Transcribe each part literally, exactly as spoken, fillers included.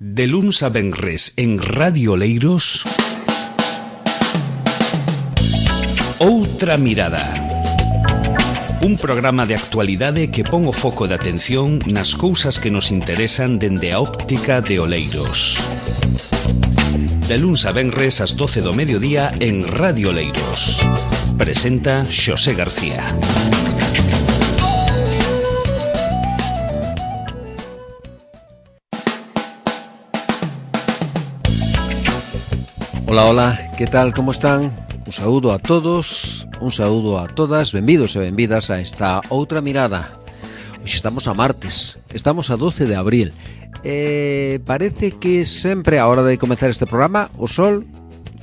De luns a venres en Radio Oleiros, Outra Mirada. Un programa de actualidade que pon o foco de atención nas cousas que nos interesan dende a óptica de Oleiros. De luns a venres ás doce do mediodía en Radio Oleiros. Presenta Xosé García. Hola, hola, que tal, como están? Un saúdo a todos, un saúdo a todas, benvidos e benvidas a esta Outra Mirada. Hoxe estamos a martes, estamos a doce de abril. Eh, parece que sempre a hora de comezar este programa o sol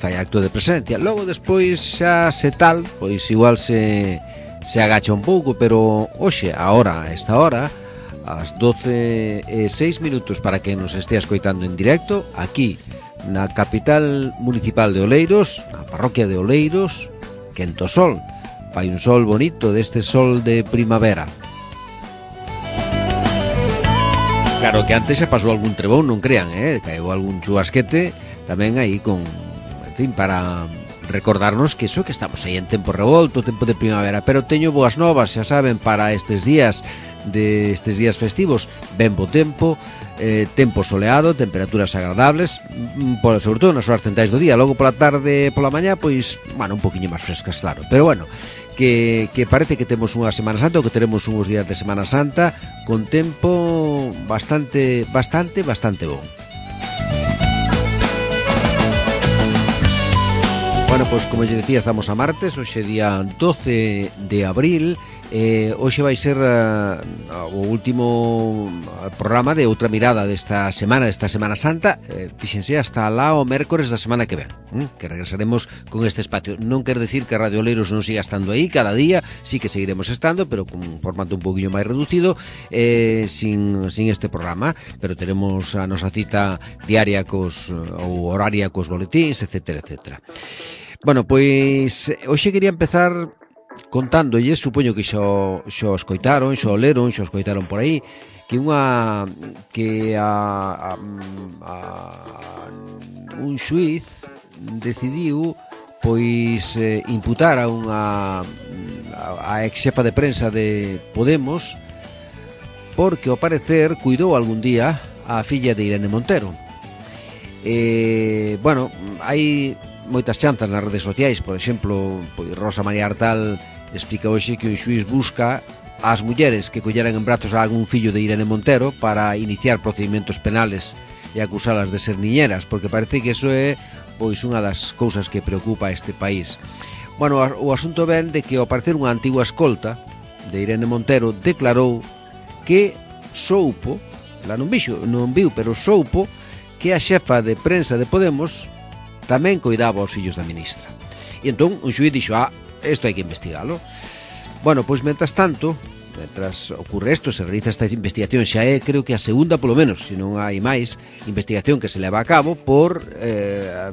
fai acto de presencia. Logo despois xa se tal, pois igual se, se agacha un pouco, pero hoxe, agora, a esta hora, ás doce e seis minutos para que nos estea escoitando en directo, aquí na capital municipal de Oleiros, na parroquia de Oleiros, quento sol. Fai un sol bonito, deste sol de primavera. Claro que antes se pasou algún trebón, non crean, eh? Caeu algún chubasquete tamén aí con, en fin, para recordarnos que eso, que estamos aí en tempo revolto, tempo de primavera. Pero teño boas novas, xa saben, para estes días de estes días festivos. Ben bo tempo, eh, tempo soleado, temperaturas agradables, por, sobre todo nas horas centrais do día. Logo pola tarde, pola mañá, pois, bueno, un poquinho máis frescas, claro. Pero bueno, que, que parece que temos unha Semana Santa, ou que teremos uns días de Semana Santa con tempo bastante, bastante, bastante bon. Bueno, pois, como lle decía, estamos a martes, hoxe día doce de abril. Eh, hoxe vai ser uh, o último programa de Outra Mirada desta semana, desta Semana Santa. eh, Fíxense, hasta lá o mércores da semana que ven, ¿eh? Que regresaremos con este espacio. Non quer decir que Radio Oleiros non siga estando aí cada día, sí que seguiremos estando, pero con un formato un poquinho máis reducido, eh, sin, sin este programa. Pero teremos a nosa cita diaria cos, ou horaria cos boletíns, etcétera, etcétera. Bueno, pois hoxe quería empezar contándolles, supoño que xo, xo escoitaron, xo leron, xo escoitaron por aí, que unha que a, a, a un xuiz decidiu pois eh, imputar a unha a, a ex xefa de prensa de Podemos porque ao parecer cuidou algún día a filla de Irene Montero. Eh, bueno, hai moitas chanzas nas redes sociais, por exemplo, pois Rosa María Artal explica hoxe que o xuiz busca ás mulleres que colleran en brazos a algún fillo de Irene Montero para iniciar procedimentos penales e acusalas de ser niñeras, porque parece que iso é pois unha das cousas que preocupa a este país. Bueno, o asunto ven de que ao parecer unha antigua escolta de Irene Montero declarou que soupo, la non vixo, non viu, pero soupo que a xefa de prensa de Podemos tamén coidaba os fillos da ministra. E entón un xuiz dixo, ah, isto hai que investigalo. Bueno, pois, mentras tanto, mentras ocurre isto, se realiza esta investigación, xa é, creo que a segunda, polo menos, se non hai máis, investigación que se leva a cabo por, eh,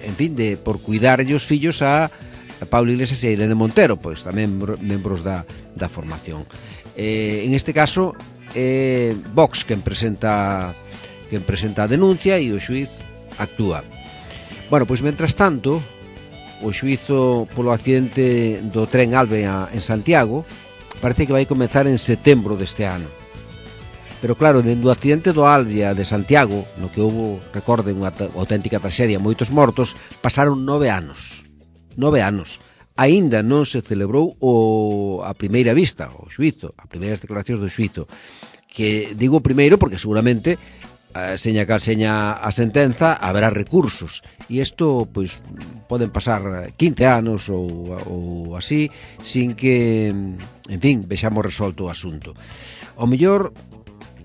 en fin, de, por cuidarlle os fillos a, a Pablo Iglesias e a Irene Montero, pois tamén membros da, da formación. Eh, en este caso, é eh, Vox quen presenta, quen presenta a denuncia e o xuiz actúa. Bueno, pois, mentras tanto, o xuízo polo accidente do tren Alve en Santiago parece que vai comezar en setembro deste ano. Pero claro, dentro do accidente do Alvia de Santiago, no que houve, recorden, unha auténtica traxedia, moitos mortos, pasaron nove anos. Nove anos. Aínda non se celebrou o, a primeira vista, o xuízo, a primeiras declaracións do xuízo. Que digo primeiro porque seguramente seña cal seña a sentenza, haberá recursos. E isto, pois, poden pasar quince anos ou, ou así, sin que, en fin, vexamos resolto o asunto. O mellor,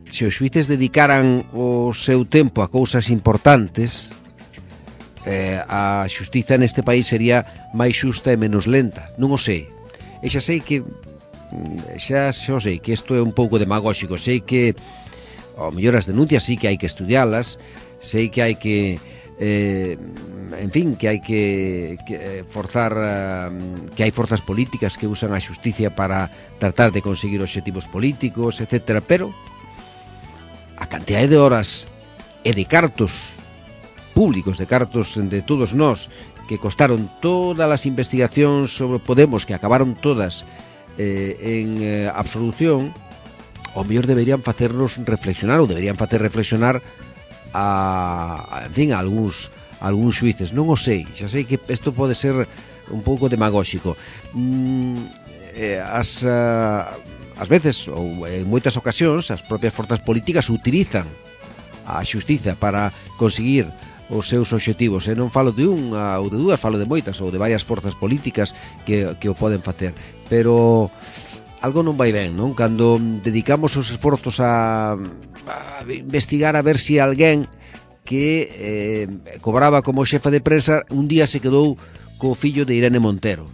se os xuíces dedicaran o seu tempo a cousas importantes, eh, a xustiza neste país sería máis xusta e menos lenta. Non o sei. E xa sei que, xa, xa sei que isto é un pouco demagóxico, sei que ao mellor as denuncias sí que hai que estudialas, sei que hai que, eh, en fin, que hai que, que forzar, uh, que hai forzas políticas que usan a xusticia para tratar de conseguir obxectivos políticos, etcétera, pero a cantidade de horas e de cartos públicos, de cartos de todos nós, que costaron todas as investigacións sobre Podemos, que acabaron todas eh, en eh, absolución, ao mellor deberían facernos reflexionar, ou deberían facer reflexionar a, a en fin, a algúns, a algúns xuíces. Non o sei, xa sei que isto pode ser un pouco demagóxico. Mm, eh, as, uh, as veces, ou en moitas ocasións, as propias forzas políticas utilizan a xustiza para conseguir os seus obxectivos, e non falo de unha ou de dúas, falo de moitas ou de varias forzas políticas que, que o poden facer, pero algo non vai ben, non? Cando dedicamos os esforzos a, a investigar a ver se si alguén que eh, cobraba como xefa de prensa un día se quedou co fillo de Irene Montero.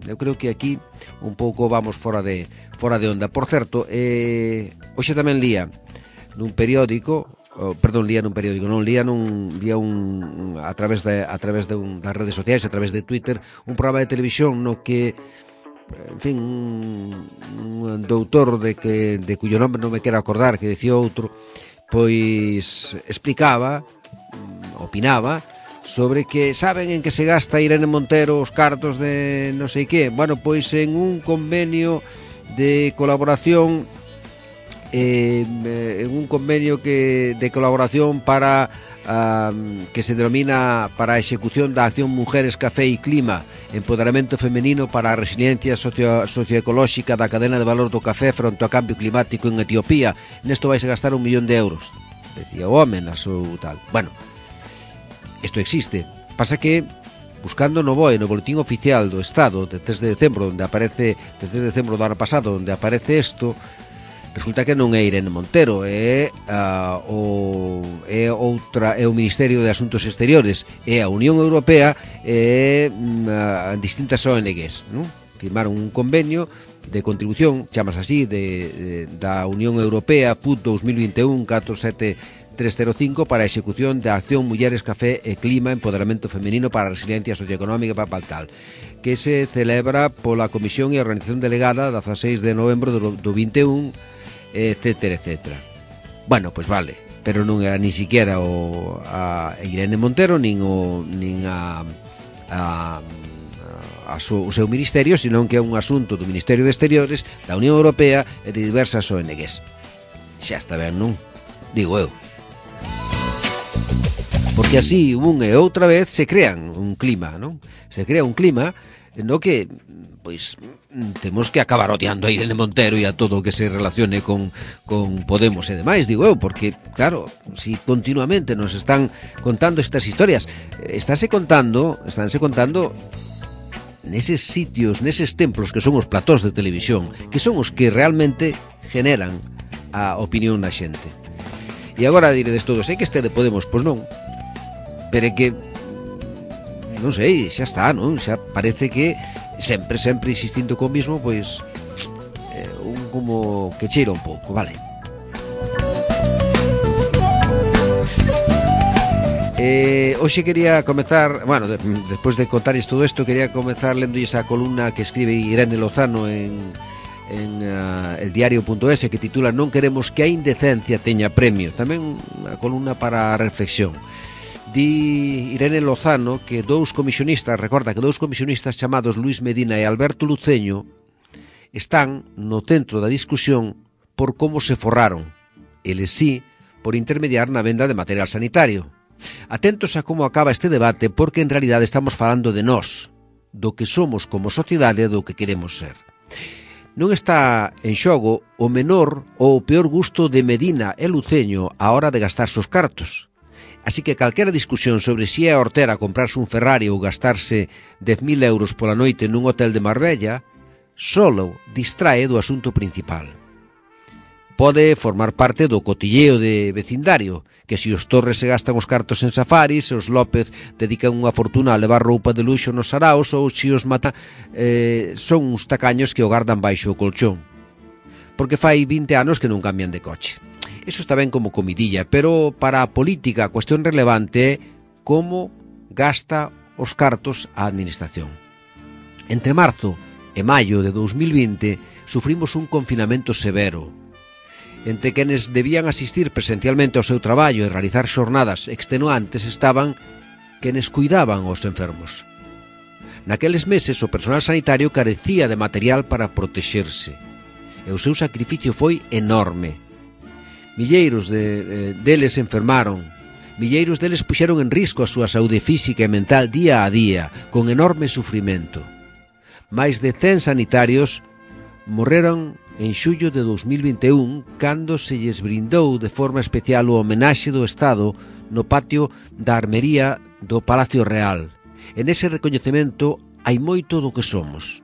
Eu creo que aquí un pouco vamos fora de fora de onda. Por certo, eh, hoxe tamén lía nun periódico, oh, perdón, lía nun periódico, non lía nun lía un a través de a través de un, das redes sociais, a través de Twitter, un programa de televisión no que, en fin, un, un doutor de que de cuyo nome non me quero acordar, que dicía outro, pois explicaba, opinaba sobre que saben en que se gasta Irene Montero os cartos de non sei que. Bueno, pois en un convenio de colaboración eh, en un convenio que de colaboración para um, que se denomina para a execución da acción Mujeres, Café e Clima, empoderamento femenino para a resiliencia socio, socioecolóxica da cadena de valor do café fronte ao cambio climático en Etiopía. Nesto vais a gastar un millón de euros, decía o home na seu tal. Bueno, isto existe. Pasa que buscando no B O E, no Boletín Oficial do Estado de tres de decembro, onde aparece de tres de decembro do ano pasado, onde aparece isto, resulta que non é Irene Montero, é uh, o é outra é o Ministerio de Asuntos Exteriores, é a Unión Europea, é uh, distintas O N Gs, non? Firmaron un convenio de contribución, chamas así, de, de da Unión Europea P U T dos mil vinte e un catro sete tres cero cinco para a execución da acción Mulleres, Café e Clima, empoderamento femenino para a resiliencia socioeconómica para tal, que se celebra pola Comisión e a Organización Delegada dezaseis de novembro do, do vinte e un, etcétera, etcétera. Bueno, pois vale, pero non era ni siquiera o a Irene Montero nin o nin a a a so, o seu ministerio, senón que é un asunto do Ministerio de Exteriores, da Unión Europea e de diversas O N Gs. Xa está ben, non? Digo eu. Porque así, un e outra vez, se crean un clima, non? Se crea un clima no que, pois, temos que acabar odiando a Irene Montero e a todo o que se relacione con, con Podemos e demais, digo eu, porque, claro, si continuamente nos están contando estas historias, estáse contando, estánse contando neses sitios, neses templos que son os platóns de televisión, que son os que realmente generan a opinión da xente. E agora diredes todos, é que este de Podemos, pois non, pero é que non sei, xa está, non? Xa parece que sempre, sempre insistindo co mismo, pois eh, un como que cheira un pouco, vale. Eh, hoxe quería comezar, bueno, de, despois de contarles todo isto, quería comezar lendo esa columna que escribe Irene Lozano en, en uh, el diario punto es, que titula Non queremos que a indecencia teña premio. Tamén unha columna para a reflexión. Di Irene Lozano que dous comisionistas, recorda que dous comisionistas chamados Luis Medina e Alberto Luceño están no centro da discusión por como se forraron, eles sí, por intermediar na venda de material sanitario. Atentos a como acaba este debate, porque en realidade estamos falando de nós, do que somos como sociedade e do que queremos ser. Non está en xogo o menor ou o peor gusto de Medina e Luceño á hora de gastarse os cartos. Así que calquera discusión sobre si é a hortera comprarse un Ferrari ou gastarse dez mil euros pola noite nun hotel de Marbella solo distrae do asunto principal. Pode formar parte do cotilleo de vecindario, que se os Torres se gastan os cartos en safaris, os López dedican unha fortuna a levar roupa de luxo nos saraos, ou se os Mata eh, son uns tacaños que o gardan baixo o colchón. Porque fai vinte anos que non cambian de coche. Eso está ben como comidilla, pero para a política a cuestión relevante é como gasta os cartos a administración. Entre marzo e maio de dous mil vinte sufrimos un confinamento severo. Entre quenes debían asistir presencialmente ao seu traballo e realizar xornadas extenuantes estaban quenes cuidaban aos enfermos. Naqueles meses o personal sanitario carecía de material para protexerse e o seu sacrificio foi enorme. Milleiros de, de, deles enfermaron, milleiros deles puxeron en risco a súa saúde física e mental día a día, con enorme sufrimento. Mais de cen sanitarios morreron en xullo de dos mil vinte e un, cando se lles brindou de forma especial o homenaxe do Estado no patio da armería do Palacio Real. En ese recoñecemento hai moito do que somos.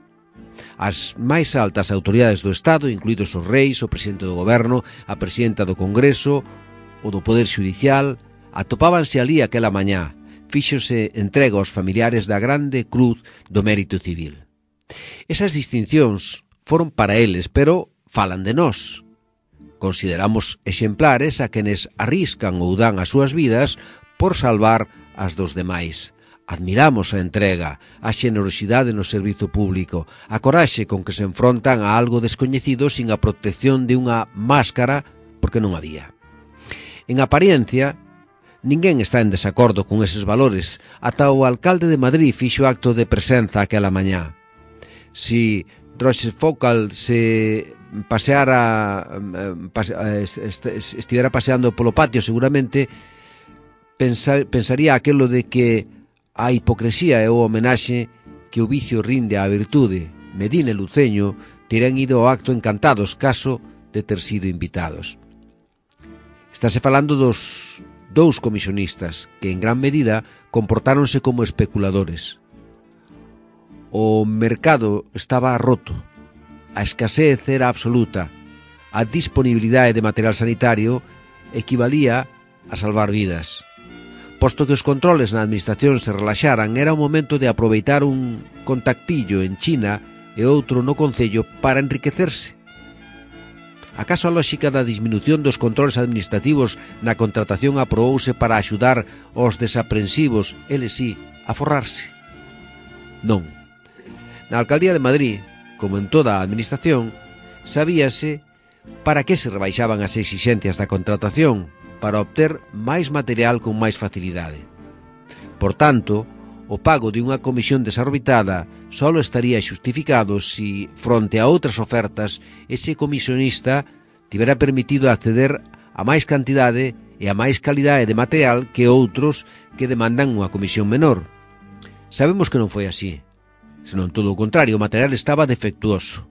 As máis altas autoridades do Estado, incluídos os reis, o presidente do goberno, a presidenta do Congreso, o do Poder Xudicial, atopábanse alí aquela mañá. Fíxose entrega aos familiares da Grande Cruz do Mérito Civil. Esas distincións foron para eles, pero falan de nós. Consideramos exemplares a quenes arriscan ou dan as súas vidas por salvar as dos demais. Admiramos a entrega, a xenerosidade no servizo público, a coraxe con que se enfrontan a algo descoñecido sin a protección de unha máscara, porque non había. En apariencia, ninguén está en desacordo con eses valores, ata o alcalde de Madrid fixo acto de presenza aquela mañá. Si Rochefoucauld se paseara, pase, estivera paseando polo patio, seguramente pensar, pensaría aquelo de que a hipocresía é o homenaxe que o vicio rinde á virtude. Medina e Luceño terán ido ao acto encantados caso de ter sido invitados. Estáse falando dos dous comisionistas que en gran medida comportáronse como especuladores. O mercado estaba roto, a escasez era absoluta, a disponibilidade de material sanitario equivalía a salvar vidas. Posto que os controles na administración se relaxaran, era o momento de aproveitar un contactillo en China e outro no Concello para enriquecerse. Acaso a lóxica da disminución dos controles administrativos na contratación aprobouse para axudar aos desaprensivos, eles sí, a forrarse? Non. Na Alcaldía de Madrid, como en toda a administración, sabíase para que se rebaixaban as exixencias da contratación, para obter máis material con máis facilidade. Por tanto, o pago de unha comisión desorbitada só estaría xustificado se, fronte a outras ofertas, ese comisionista tivera permitido acceder a máis cantidade e a máis calidade de material que outros que demandan unha comisión menor. Sabemos que non foi así, senón todo o contrario, o material estaba defectuoso.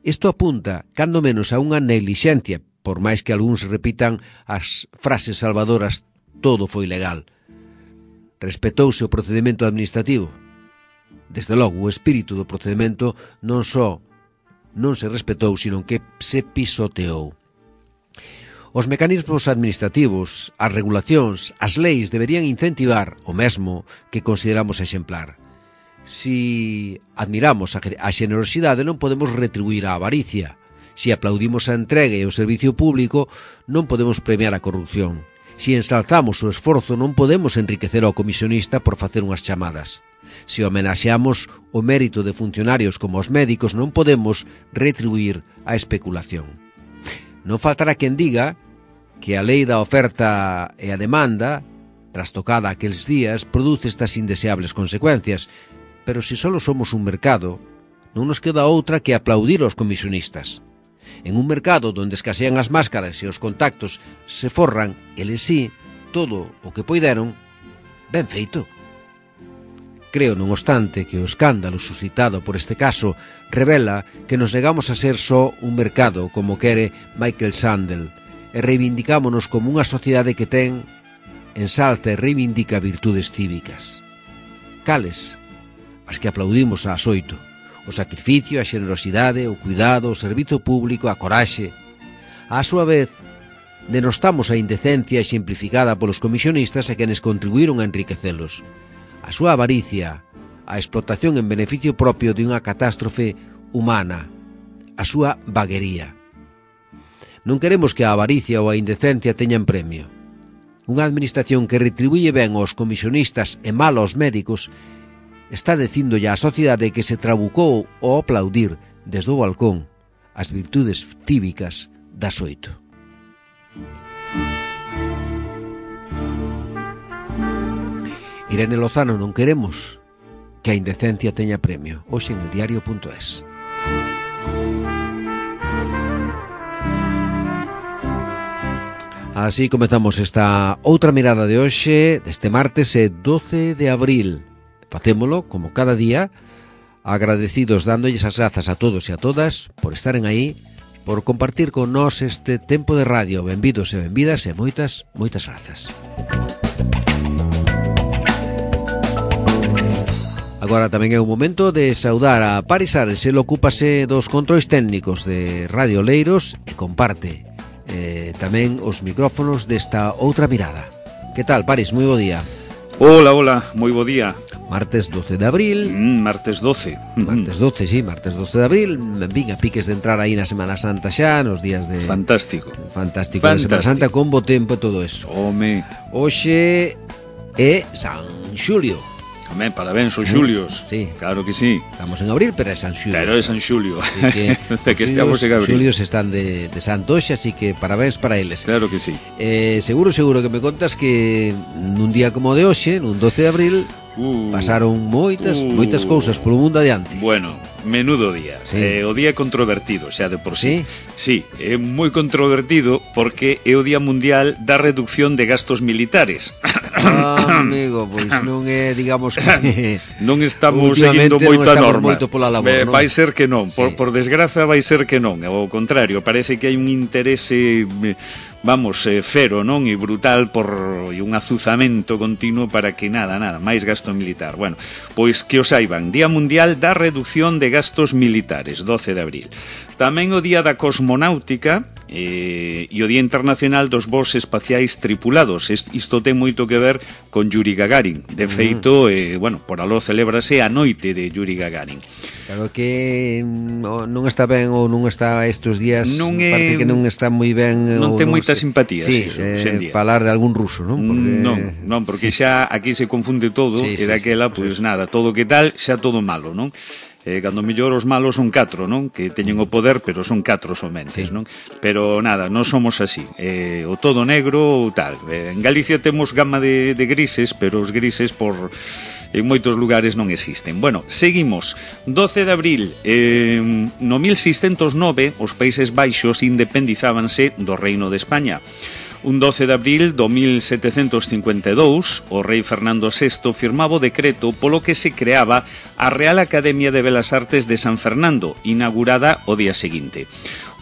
Isto apunta, cando menos, a unha neglixencia, por máis que algúns repitan as frases salvadoras, todo foi legal. Respetouse o procedimento administrativo. Desde logo, o espírito do procedimento non só non se respetou, sino que se pisoteou. Os mecanismos administrativos, as regulacións, as leis deberían incentivar o mesmo que consideramos exemplar. Si admiramos a xenerosidade, non podemos retribuir a avaricia. Si aplaudimos a entrega e o servicio público, non podemos premiar a corrupción. Si ensalzamos o esforzo, non podemos enriquecer ao comisionista por facer unhas chamadas. Si homenaxeamos o mérito de funcionarios como os médicos, non podemos retribuir a especulación. Non faltará quen diga que a lei da oferta e a demanda, trastocada aqueles días, produce estas indeseables consecuencias. Pero se só somos un mercado, non nos queda outra que aplaudir aos comisionistas. En un mercado donde escasean as máscaras e os contactos se forran, eles sí, todo o que poideron, ben feito. Creo, non obstante, que o escándalo suscitado por este caso revela que nos negamos a ser só un mercado, como quere Michael Sandel, e reivindicámonos como unha sociedade que ten, ensalza e reivindica virtudes cívicas. Cales? As que aplaudimos ás oito. O sacrificio, a xenerosidade, o cuidado, o servizo público, a coraxe. A súa vez, denostamos a indecencia exemplificada polos comisionistas e quenes contribuíron a enriquecelos. A súa avaricia, a explotación en beneficio propio de unha catástrofe humana, a súa vaguería. Non queremos que a avaricia ou a indecencia teñan premio. Unha administración que retribuye ben aos comisionistas e mal aos médicos está dicíndolle á sociedade que se trabucou ao aplaudir desde o balcón as virtudes cívicas das oito. Irene Lozano, non queremos que a indecencia teña premio. Hoxe en el diario punto es. Así comezamos esta outra mirada de hoxe, deste martes doce de abril. Facémolo, como cada día, agradecidos dándolles as grazas a todos e a todas por estaren aí, por compartir con nós este tempo de radio. Benvidos e benvidas e moitas, moitas grazas. Agora tamén é o momento de saudar a Paris Ares. El ocúpase dos controis técnicos de Radio Oleiros e comparte eh, tamén os micrófonos desta outra mirada. Que tal, Paris? Moi bo día. Hola, hola, moi bo día. Martes doce de abril. Mm, martes doce. Martes doce, sí, martes doce de abril. Vin a piques de entrar aí na Semana Santa xa, nos días de... Fantástico. Fantástico, Fantástico. De Semana Santa con bo tempo e todo eso. Home. Hoxe é San Xulio. Home, parabéns, os Xulios. Sí. Claro que sí. Estamos en abril, pero é San Xulio. Pero é San Xulio. Así que, de que estamos en abril. Os Xulios están de, de santo hoxe, así que parabéns para eles. Claro que sí. Eh, seguro, seguro que me contas que nun día como de hoxe, nun doce de abril, uh, pasaron moitas, uh, moitas cousas polo mundo adiante. Bueno, menudo día. Sí. Eh, o día controvertido, xa de por sí. Sí, sí, é moi controvertido porque é o Día Mundial da Reducción de Gastos Militares. Ah, amigo, pois non é, digamos que non estamos seguindo moita norma. Moito pola labor, eh, non? Vai ser que non, Sí. por, por desgraza vai ser que non. Ao contrario, parece que hai un interese, vamos, eh, fero, non? E brutal por e un azuzamento continuo para que nada, nada, máis gasto militar. Bueno, pois que o saiban, Día Mundial da Reducción de Gastos Militares, doce de abril. Tamén o Día da Cosmonáutica eh, e o Día Internacional dos Voos Espaciais Tripulados. Isto ten moito que ver con Yuri Gagarin. De feito, eh, bueno, por aló celébrase a noite de Yuri Gagarin. Claro que non está ben ou non está estes días, non é, parte que non está moi ben. Non ten non moita se, simpatía, sí, iso, eh, falar de algún ruso, non? Porque... Non, non, porque xa aquí se confunde todo, sí, e daquela, sí, pois sí. Nada, todo que tal, xa todo malo, non? Eh, cando mellor os malos son catro, non? Que teñen o poder, pero son catro somente, sí. Non? Pero nada, non somos así. Eh, o todo negro ou tal. Eh, en Galicia temos gama de, de grises, pero os grises por en moitos lugares non existen. Bueno, seguimos. doce de abril, eh, no mil seiscentos nove, os Países Baixos independizábanse do Reino de España. Un doce de abril do mil setecentos cincuenta e dous, o rei Fernando sexto firmaba o decreto polo que se creaba a Real Academia de Belas Artes de San Fernando, inaugurada o día seguinte.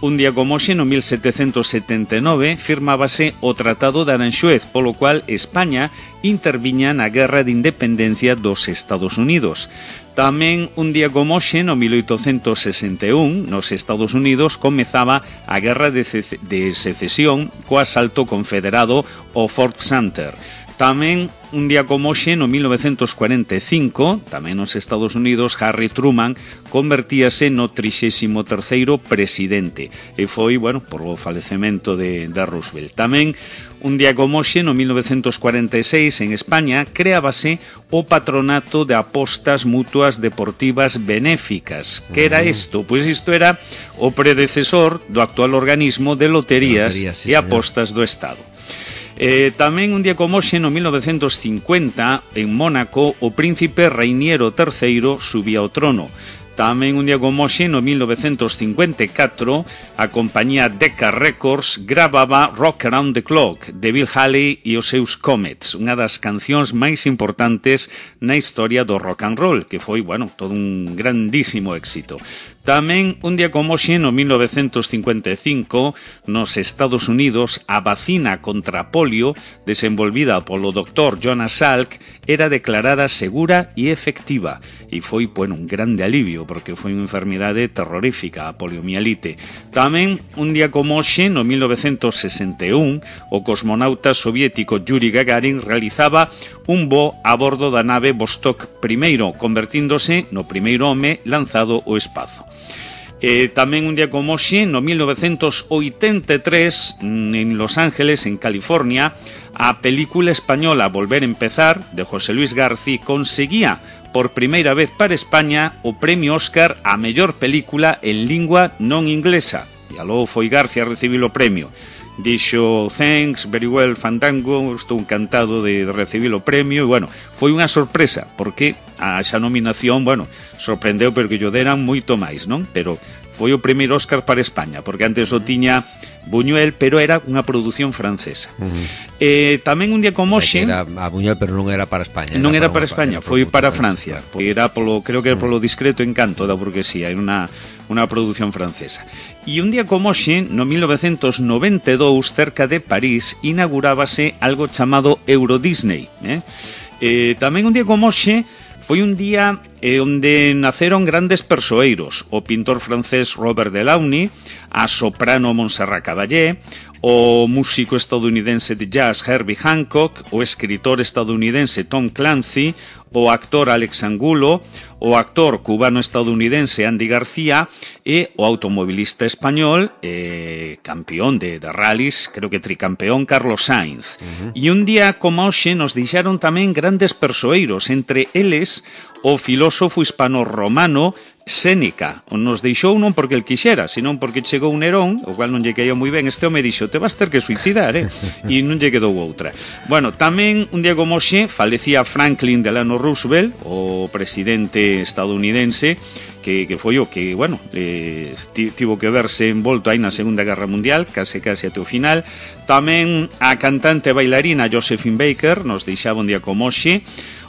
Un día como hoxe, no mil setecentos setenta e nove, firmábase o Tratado de Aranxuez, polo cual España interviña na Guerra de Independencia dos Estados Unidos. Tamén un día como hoxe, no mil oitocentos sesenta e un, nos Estados Unidos comezaba a Guerra de, de Secesión co asalto confederado ao Fort Sumter. Tamén un día como hoxe, no mil novecentos cuarenta e cinco, tamén nos Estados Unidos, Harry Truman convertíase no trixésimo terceiro presidente e foi, bueno, por o falecemento de, de Roosevelt. Tamén un día como hoxe, no mil novecentos cuarenta e seis, en España, creábase o Patronato de Apostas Mutuas Deportivas Benéficas. Que era isto? Pois isto era o predecesor do actual organismo de loterías, loterías sí, e apostas do Estado. Eh, tamén un día como hoxe, no mil novecentos cincuenta, en Mónaco, o príncipe Reiniero terceiro subía ao trono. Tamén un día como hoxe, no mil novecentos cincuenta e catro, a compañía Decca Records gravaba Rock Around the Clock, de Bill Haley e os seus Comets, unha das cancións máis importantes na historia do rock and roll, que foi, bueno, todo un grandísimo éxito. Tamén un día como hoxe, no mil novecentos cincuenta e cinco, nos Estados Unidos, a vacina contra a polio, desenvolvida polo doctor Jonas Salk, era declarada segura e efectiva. E foi, bueno, un grande alivio, porque foi unha enfermidade terrorífica, a poliomielite. Tamén un día como hoxe, no mil novecentos sesenta e un, o cosmonauta soviético Yuri Gagarin realizaba un voo a bordo da nave Vostok primeiro, convertíndose no primeiro home lanzado ao espazo. Eh, tamén un día como hoxe, no mil novecentos oitenta e tres, en Los Ángeles, en California, a película española Volver a Empezar, de José Luis García, conseguía por primeira vez para España o premio Óscar a mellor película en lingua non inglesa. e aló foi García a recibir o premio. Dixo, thanks, very well, Fandango, estou encantado de, de recibir o premio, e, bueno, foi unha sorpresa, porque a xa nominación, bueno, sorprendeu porque yo deran moito máis, non? Pero foi o primeiro Óscar para España, porque antes o tiña Buñuel, pero era unha produción francesa. Uh-huh. eh, tamén un día como hoxe... O sea, era a Buñuel, pero non era para España. Non era para, para España, era foi para Francia. Francia. Era polo, creo que era polo discreto encanto da burguesía, era unha, unha produción francesa. E un día como hoxe, no mil novecentos noventa e dous, cerca de París, inaugurábase algo chamado Euro Disney. Eh? Eh, tamén un día como hoxe, foi un día eh, onde naceron grandes persoeiros, o pintor francés Robert Delaunay, a soprano Montserrat Caballé, o músico estadounidense de jazz Herbie Hancock, o escritor estadounidense Tom Clancy, o actor Alex Angulo, o actor cubano-estadounidense Andy García e o automobilista español, eh, campeón de, de rallies, creo que tricampeón, Carlos Sainz. Uh-huh. E un día como hoxe nos deixaron tamén grandes persoeiros, entre eles o filósofo hispano-romano Séneca. Nos deixou non porque el quixera, senón porque chegou un Nerón, o cual non lle caía moi ben. Este home dixo, te vas ter que suicidar, eh? E non lle quedou outra. Bueno, tamén un día como hoxe falecía Franklin Delano Roosevelt, o presidente estadounidense, que, que foi o que, bueno, eh, tivo que verse envolto aí na Segunda Guerra Mundial, case case até o final. Tamén a cantante e bailarina Josephine Baker nos deixaba un día como hoxe.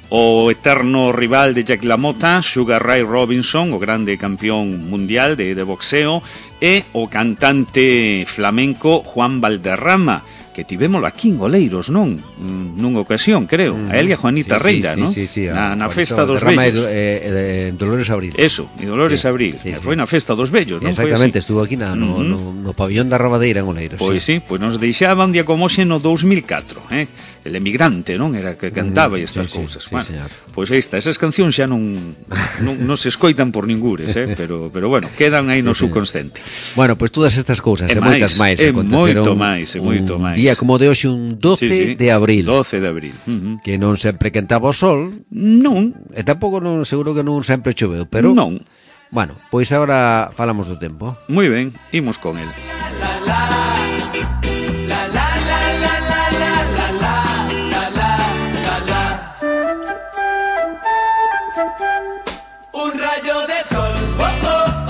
O eterno rival de Jack LaMotta, Sugar Ray Robinson, o grande campeón mundial de, de boxeo, e o cantante flamenco Juan Valderrama, que tivémolo aquí en Oleiros, non? Nunha ocasión, creo. Mm. A Elia Juanita sí, Reira, sí, non? Sí, sí, sí, na, na festa dos vellos. Eh, eh, Dolores Abril. Eso, e Dolores sí, Abril. Sí, sí. Foi na festa dos vellos, non? Exactamente, estuvo aquí na, no, mm-hmm. no, no pabillón da Robadeira en Oleiros. Pois sí, sí, pois nos deixaba un día como hoxe no dous mil catro, eh? El emigrante, non? Era que cantaba mm, e estas sí, cousas. Sí, bueno, sí, pois aí está, esas cancións xa non, non, non se escoitan por ningures, eh? pero, pero bueno, quedan aí no sí, subconsciente. Bueno, pois todas estas cousas e, e moitas máis e moito máis, e moito máis. Día como de hoxe, un doce sí, sí. de abril. doce de abril. Uh-huh. Que non sempre quentaba o sol. Non. E tampouco non, seguro que non sempre choveu, pero... Non. Bueno, pois agora falamos do tempo. Moi ben, imos con el.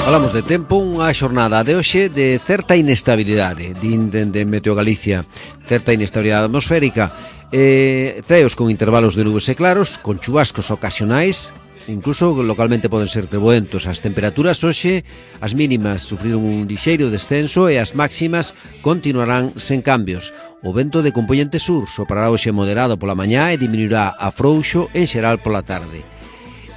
Falamos de tempo, unha xornada de hoxe de certa inestabilidade, din dende Meteo Galicia, certa inestabilidade atmosférica, eh, ceos con intervalos de nubes e claros, con chubascos ocasionais, incluso localmente poden ser treboentos. As temperaturas hoxe, as mínimas sufriron un lixeiro descenso e as máximas continuarán sen cambios. O vento de compoñente sur soprará hoxe moderado pola mañá e diminuirá a frouxo en xeral pola tarde.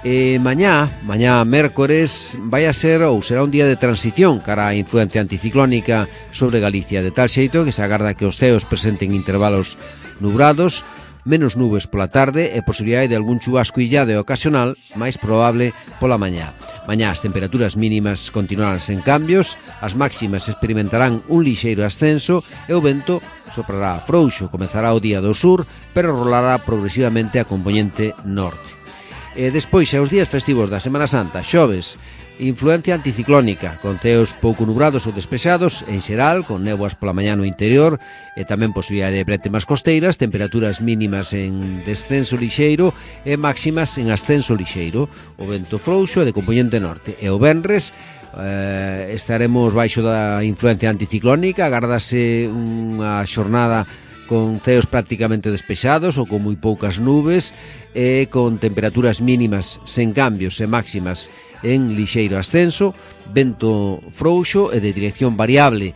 E mañá, mañá mércores, vai a ser ou será un día de transición cara á influencia anticiclónica sobre Galicia, de tal xeito que se agarda que os ceos presenten intervalos nubrados, menos nubes pola tarde e posibilidade de algún chubasco illado e ocasional, máis probable pola mañá. Mañá as temperaturas mínimas continuarán sen cambios, as máximas experimentarán un lixeiro ascenso e o vento soprará frouxo, comezará o día do sur, pero rolará progresivamente a compoñente norte. E despois, aos días festivos da Semana Santa, xoves, influencia anticiclónica, con ceos pouco nubrados ou despexados, en xeral, con néboas pola mañá no interior, e tamén posibilidade de brétemas costeiras, temperaturas mínimas en descenso lixeiro e máximas en ascenso lixeiro, o vento frouxo e de compoñente norte. E o venres, eh, estaremos baixo da influencia anticiclónica, agardase unha xornada con ceos prácticamente despexados ou con moi poucas nubes e con temperaturas mínimas sen cambios e máximas en lixeiro ascenso, vento frouxo e de dirección variable.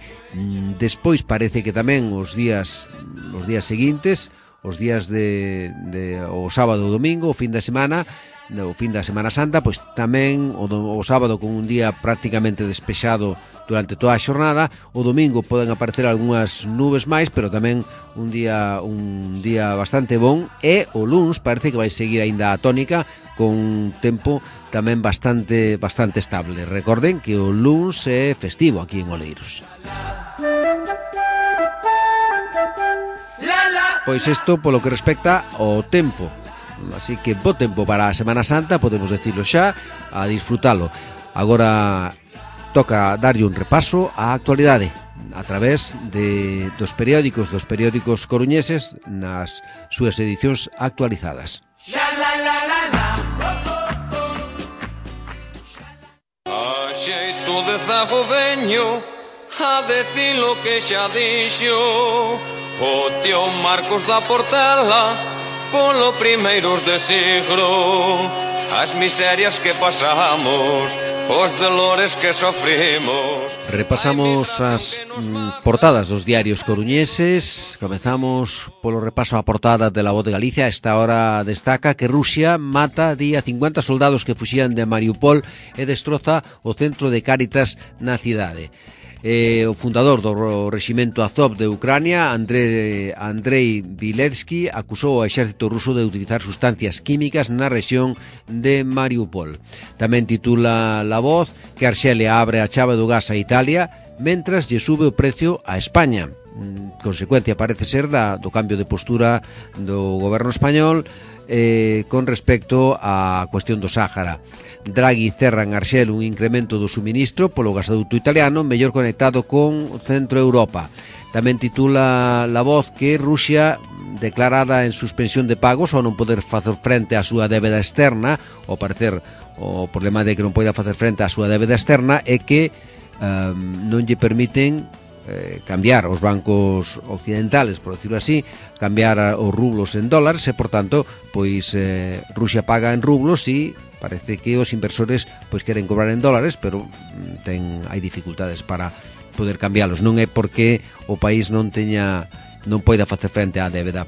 Despois parece que tamén os días os días seguintes, os días de, de o sábado ou domingo, o fin de semana, o fin da Semana Santa, pois tamén o, do, o sábado con un día prácticamente despexado durante toda a xornada, o domingo poden aparecer algunhas nubes máis, pero tamén un día un día bastante bon, e o luns parece que vai seguir aínda a tónica con tempo tamén bastante bastante estable. Recorden que o luns é festivo aquí en Oleiros. Pois isto polo que respecta ao tempo. Así que bo tempo para a Semana Santa, podemos decirlo xa, a disfrutalo. Agora toca darlle un repaso á actualidade a través de, dos periódicos dos periódicos coruñeses nas súas edicións actualizadas. A xeito de zago veño a decir lo que xa dixo o tío Marcos da Portela polo primeiros de siglo, as miserias que pasamos, os dolores que sofrimos. Repasamos as mm, portadas dos diarios coruñeses. Comezamos polo repaso á portada de La Voz de Galicia. A esta hora destaca que Rusia mata día cincuenta soldados que fuxían de Mariupol e destroza o centro de Cáritas na cidade. Eh, o fundador do reximento Azov de Ucrania, Andrei, Andrei Viletsky, acusou ao exército ruso de utilizar sustancias químicas na rexión de Mariupol. Tamén titula La Voz que Arxelia abre a chave do gas a Italia mentras lle sube o precio a España. Consecuencia parece ser da, do cambio de postura do goberno español eh, con respecto á cuestión do Sáhara. Draghi cerra en Arxel un incremento do suministro polo gasoduto italiano mellor conectado con o centro Europa. Tamén titula La Voz que Rusia declarada en suspensión de pagos ao non poder facer frente á súa débeda externa. Ao parecer o problema de que non poida facer frente á súa débeda externa é que um, non lle permiten eh, cambiar os bancos occidentales, por decirlo así, cambiar os rublos en dólares e, por tanto, pois eh, Rusia paga en rublos e parece que os inversores pois queren cobrar en dólares, pero ten hai dificultades para poder cambialos. Non é porque o país non teña non poida facer frente á débeda.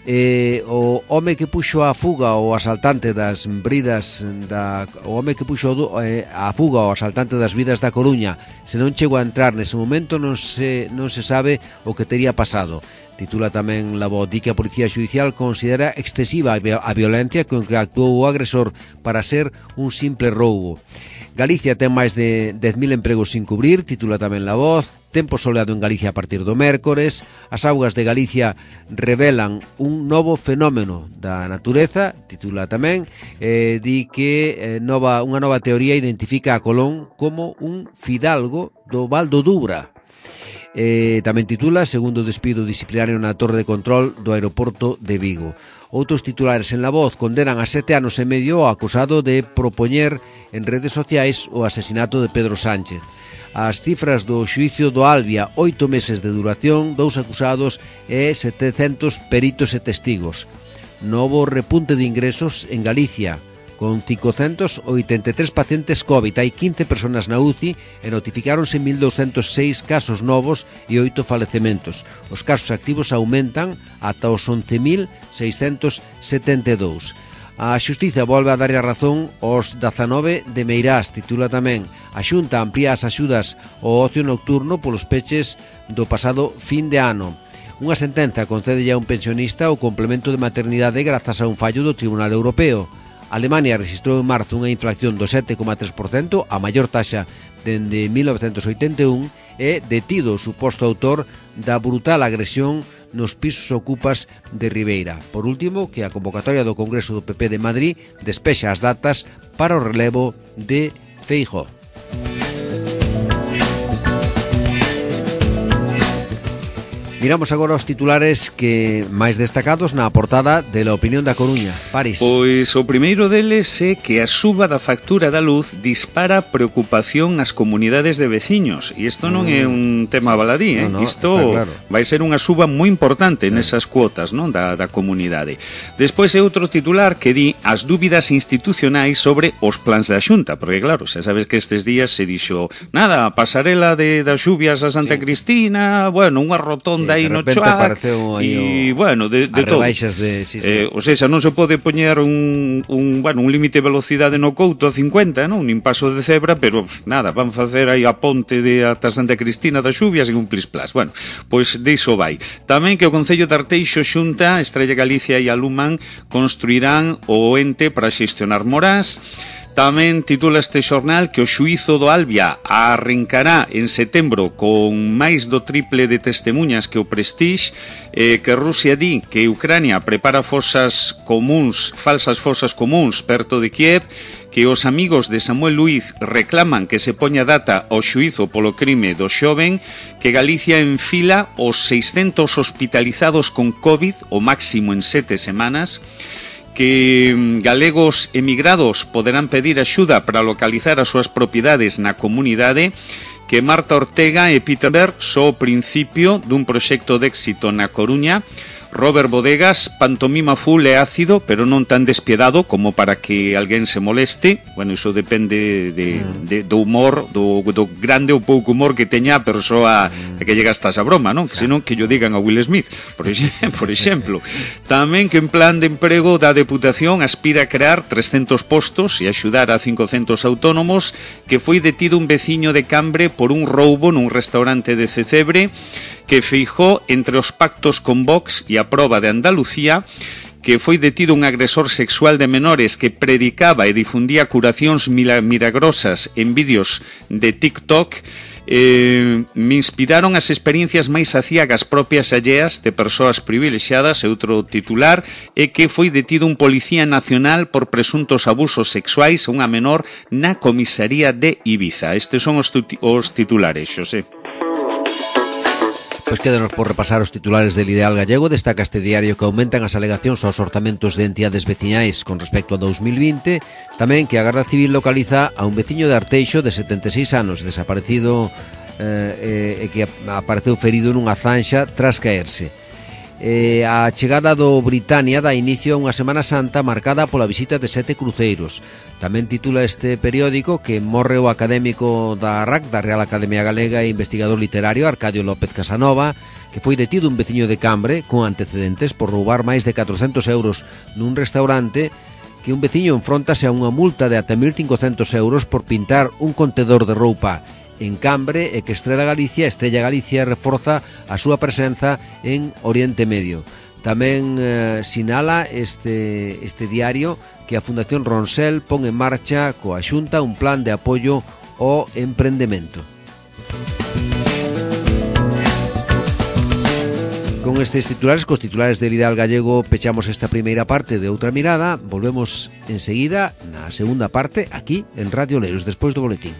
Eh, o home que puxo a fuga o asaltante das bridas da o home que puxo eh, a fuga o asaltante das vidas da Coruña, se non chegou a entrar nese momento non se non se sabe o que tería pasado. Titula tamén La Voz, di que a Policía Xudicial considera excesiva a violencia con que actuou o agresor para ser un simple roubo. Galicia ten máis de dez mil empregos sin cubrir, titula tamén La Voz. Tempo soleado en Galicia a partir do mércores. As augas de Galicia revelan un novo fenómeno da natureza, titula tamén. Eh, di que eh, nova, unha nova teoría identifica a Colón como un fidalgo do Val do Dubra. Eh, tamén titula segundo despido disciplinario na torre de control do aeroporto de Vigo. Outros titulares en La Voz condenan a sete anos e medio ao acusado de propoñer en redes sociais o asesinato de Pedro Sánchez. As cifras do xuicio do Albia, oito meses de duración, dous acusados e setecentos peritos e testigos. Novo repunte de ingresos en Galicia, con cincocentos oitenta e tres pacientes COVID. Hai quince personas na U C I e notificáronse mil douscentos seis casos novos e oito falecementos. Os casos activos aumentan ata os once mil seiscentos setenta e dous. A Xustiza volve a darlle a razón aos dezanove de Meirás, titula tamén. A Xunta amplía as axudas ao ocio nocturno polos peches do pasado fin de ano. Unha sentenza concede a un pensionista o complemento de maternidade grazas a un fallo do Tribunal Europeo. Alemania registrou en marzo unha inflación do sete coma tres por cento, a maior taxa dende mil novecentos oitenta e un, e detido o suposto autor da brutal agresión nos pisos ocupas de Ribeira. Por último, que a convocatoria do Congreso do P P de Madrid despexa as datas para o relevo de Feijóo. Miramos agora os titulares que máis destacados na portada de La Opinión da Coruña. París. Pois o primeiro deles é que a suba da factura da luz dispara preocupación nas comunidades de veciños. E isto non mm. é un tema baladí, eh? No, no, isto claro. vai ser unha suba moi importante sí. nesas cuotas, non, da, da comunidade. Despois é outro titular que di as dúbidas institucionais sobre os plans da Xunta, porque claro, xa sabes que estes días se dixo nada, pasarela de das xubias a Santa sí. Cristina, bueno, unha rotonda sí. aí no Choac e, bueno, de, de todo. De, sí, sí. Eh, o sea, non se pode poñer un, un, bueno, un límite de velocidade no Couto a cincuenta, non? Nin paso de cebra, pero nada, van facer aí a ponte de ata Santa Cristina das Xubias e un plis-plas. Bueno, pois diso vai. Tamén que o Concello de Arteixo, Xunta, Estrella Galicia e Aluman construirán o ente para xestionar morás. Tamén titula este xornal que o xuízo do Albia arrincará en setembro con máis do triple de testemunhas que o Prestige, eh, que Rusia di que Ucrania prepara fosas comuns, falsas fosas comuns perto de Kiev, que os amigos de Samuel Luiz reclaman que se poña data ao xuízo polo crime do xoven, que Galicia enfila os seiscentos hospitalizados con COVID, o máximo en sete semanas, que galegos emigrados poderán pedir axuda para localizar as súas propiedades na comunidade, que Marta Ortega e Peter Berg só o principio dun proxecto de éxito na Coruña. Robert Bodegas, pantomima full e ácido, pero non tan despiadado como para que alguén se moleste. Bueno, iso depende de, de, do humor, do, do grande ou pouco humor que teña a persoa a que llega hasta esa broma, non? Que senón que yo digan a Will Smith, por, ex, por exemplo. Tamén que en plan de emprego da Deputación aspira a crear trescentos postos e axudar a cincocentos autónomos, que foi detido un veciño de Cambre por un roubo nun restaurante de Cecebre, que Feijóo, entre os pactos con Vox e a proba de Andalucía, que foi detido un agresor sexual de menores que predicaba e difundía curacións milagrosas en vídeos de TikTok. Eh, me inspiraron as experiencias máis aciagas propias alleas de persoas privilexiadas. E outro titular é que foi detido un policía nacional por presuntos abusos sexuais a unha menor na comisaría de Ibiza. Estes son os, os titulares, Xosé. Pois quédanos por repasar os titulares del Ideal Gallego. Destaca este diario que aumentan as alegacións aos orzamentos de entidades veciñais con respecto a dos mil vinte. Tamén que a Garda Civil localiza a un veciño de Arteixo de setenta e seis anos desaparecido eh, e que apareceu ferido nunha zanxa tras caerse. Eh, a chegada do Britannia dá inicio a unha Semana Santa marcada pola visita de sete cruceiros. Tamén titula este periódico que morre o académico da R A C, da Real Academia Galega, e investigador literario Arcadio López Casanova, que foi detido un veciño de Cambre con antecedentes por roubar máis de catrocentos euros nun restaurante, que un veciño enfróntase a unha multa de ata mil cincocentos euros por pintar un contedor de roupa en Cambre, e que Estrela Galicia, Estrella Galicia reforza a súa presenza en Oriente Medio. Tamén eh, sinala este, este diario que a Fundación Ronsel pon en marcha coa Xunta un plan de apoio ao emprendemento. Con estes titulares, cos titulares del Ideal Gallego, pechamos esta primeira parte de Outra Mirada. Volvemos enseguida na segunda parte aquí en Radio Oleiros, despois do boletín.